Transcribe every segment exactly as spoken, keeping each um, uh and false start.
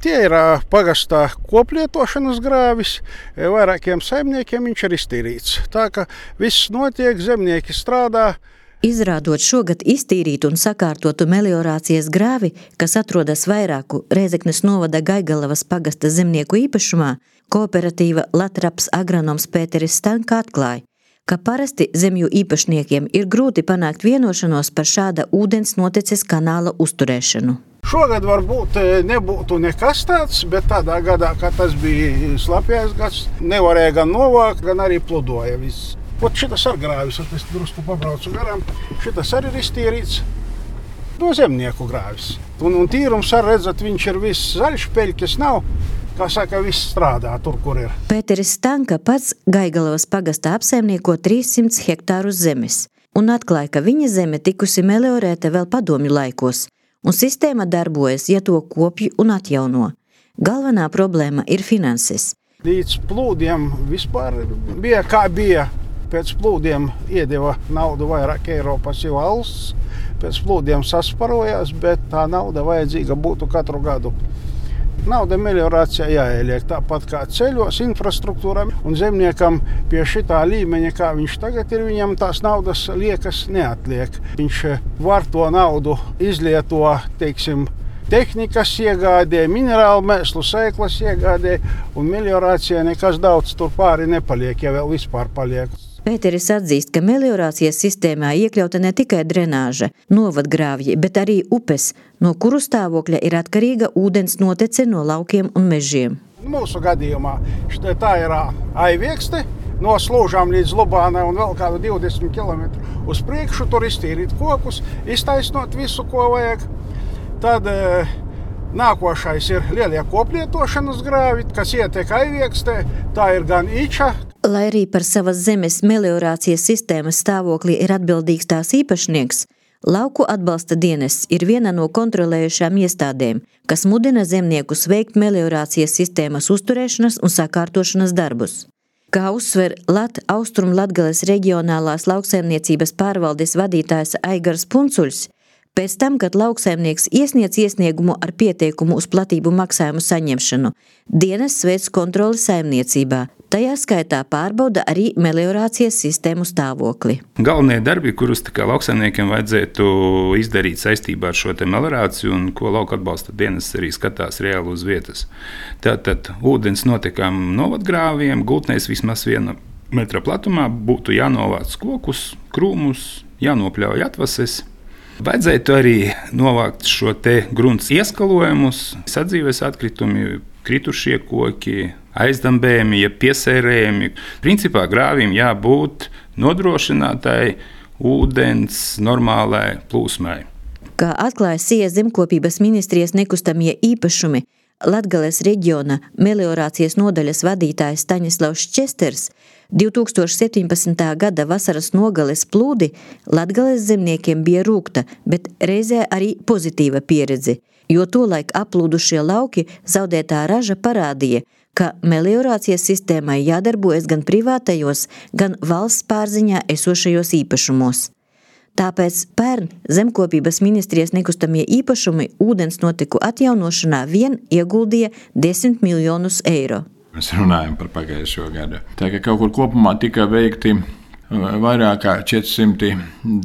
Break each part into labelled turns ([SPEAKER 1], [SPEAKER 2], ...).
[SPEAKER 1] Tie ir pagastā koplietošanas grāvis, vairākiem saimniekiem viņš ir iztīrīts. Tā ka viss notiek, zemnieki strādā.
[SPEAKER 2] Izrādot šogad iztīrītu un sakārtotu meliorācijas grāvi, kas atrodas vairāku Rēzeknes novada Gaigalavas pagasta zemnieku īpašumā, kooperatīva Latraps agronoms Pēteris Stanka atklāja, ka parasti zemju īpašniekiem ir grūti panākt vienošanos par šāda ūdens noteces kanāla uzturēšanu.
[SPEAKER 1] Šogad varbūt nebūtu nekas tāds, bet tādā gadā, kad tas bija slapjais gads, nevarēja gan novākt, gan arī pludoja viss. Ot šitas ar grāvis, es drusku pabraucu garām, šitas arī ir iztīrīts no zemnieku grāvis. Un, un tīrums ar redzat, viņš ir viss zaļš, peļķes nav, kā saka, viss strādā tur, kur ir.
[SPEAKER 2] Pēteris Stanka pats Gaigalavas pagastā apsaimnieko trīssimts hektārus zemes un atklāja, ka viņa zeme tikusi meliorēta vēl padomju laikos, un sistēma darbojas, ja to kopj un atjauno. Galvenā problēma ir finanses.
[SPEAKER 1] Līdz plūdiem vispār bija kā bija. Pēc plūdiem iedeva naudu vairāk Eiropas jau valsts, pēc plūdiem sasparojās, bet tā nauda vajadzīga būtu katru gadu. Nauda meliorācijā jāieliek tāpat kā ceļos, infrastruktūrā, un zemniekam pie šitā līmeņa, kā viņš tagad ir, viņam tās naudas liekas neatliek. Viņš var to naudu izlieto, teiksim, tehnikas iegādē, minerālu mēslu sēklas iegādē, un meliorācijā nekas daudz tur pāri nepaliek, ja vēl vispār paliek.
[SPEAKER 2] Pēteris atzīst, ka meliorācijas sistēmā iekļauta ne tikai drenāža, novadgrāvji, bet arī upes, no kuru stāvokļa ir atkarīga ūdens notece no laukiem un mežiem.
[SPEAKER 1] Mūsu gadījumā tā ir Aiviekste, no Slūžām līdz Lubānai un vēl kādu divdesmit kilometru uz priekšu, tur iztīrīt kokus, iztaisnot visu, ko vajag. Tad e, nākošais ir lielie koplietošanas grāvi, kas ietek Aiviekstē, tā ir gan Iča.
[SPEAKER 2] Lai arī par savas zemes meliorācijas sistēmas stāvokli ir atbildīgs tās īpašnieks, Lauku atbalsta dienests ir viena no kontrolējušām iestādēm, kas mudina zemniekus veikt meliorācijas sistēmas uzturēšanas un sakārtošanas darbus. Kā uzsver Lat Austrum Latgales reģionālās lauksaimniecības pārvaldes vadītājs Aigars Puncuļs, pēc tam, kad lauksaimnieks iesniedz iesniegumu ar pieteikumu uz platību maksājumu saņemšanu, dienests veic kontroli saimniecībā. Tajā skaitā pārbauda arī meliorācijas sistēmu stāvokli.
[SPEAKER 3] Galvenie darbi, kurus tā kā lauksaimniekiem vajadzētu izdarīt saistībā ar šo te meliorāciju un ko lauka atbalsta dienests arī skatās reāli uz vietas. Tātad ūdens notekām novadgrāviem, gultnēs vismaz viena metra platumā būtu jānovāc kokus, krūmus, jānopļauj atvases. Vajadzētu arī novākt šo te grunts ieskalojumus, sadzīves atkritumi, kritušie koki, aizdambējumi, ja piesērējumi. Principā grāvim jābūt nodrošinātai ūdens normālai plūsmai.
[SPEAKER 2] Kā atklāja Sija zemkopības ministrijas nekustamie īpašumi, Latgales reģiona meliorācijas nodaļas vadītājs Staņislavs Česters, divi tūkstoši septiņpadsmitā gada vasaras nogales plūdi Latgales zemniekiem bija rūgta, bet reizē arī pozitīva pieredze, jo tolaik aplūdušie lauki zaudētā raža parādīja, ka meliorācijas sistēmai jādarbojas gan privātajos, gan valsts pārziņā esošajos īpašumos. Tāpēc pērn zemkopības ministrijas nekustamie īpašumi ūdens noteku atjaunošanā vien ieguldīja desmit miljonus eiro.
[SPEAKER 4] Mēs runājam par pagājušo gadu. Tā kā kaut kur kopumā tika veikti vairāk kā četri simti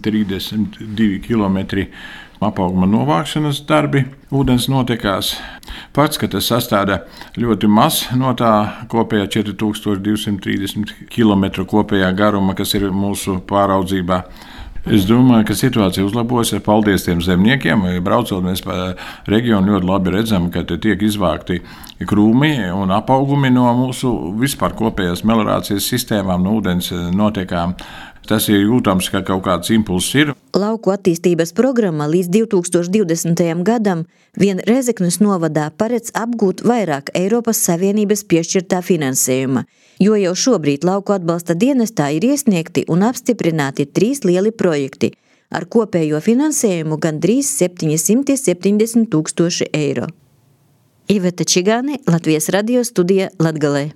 [SPEAKER 4] trīsdesmit divi kilometri apauguma novākšanas darbi ūdens notekās. Pats, ka tas sastāda ļoti maz no tā kopējā četri tūkstoši divi simti trīsdesmit kilometru kopējā garuma, kas ir mūsu pāraudzībā. Es domāju, ka situācija uzlabojas. Paldies tiem zemniekiem. Braucot mēs pa reģionu ļoti labi redzam, ka tiek izvākti krūmi un apaugumi no mūsu vispār kopējās meliorācijas sistēmām, no ūdens notekām. Tas ir jūtams, ka kaut kāds impulss ir.
[SPEAKER 2] Lauku attīstības programma līdz divi tūkstoši divdesmitajam gadam vien Rēzeknes novadā paredz apgūt vairāk Eiropas Savienības piešķirtā finansējuma, jo jau šobrīd lauku atbalsta dienestā ir iesniegti un apstiprināti trīs lieli projekti ar kopējo finansējumu gandrīz septiņsimt septiņdesmit tūkstoši eiro. Iveta Čigāne, Latvijas radio studija Latgalē.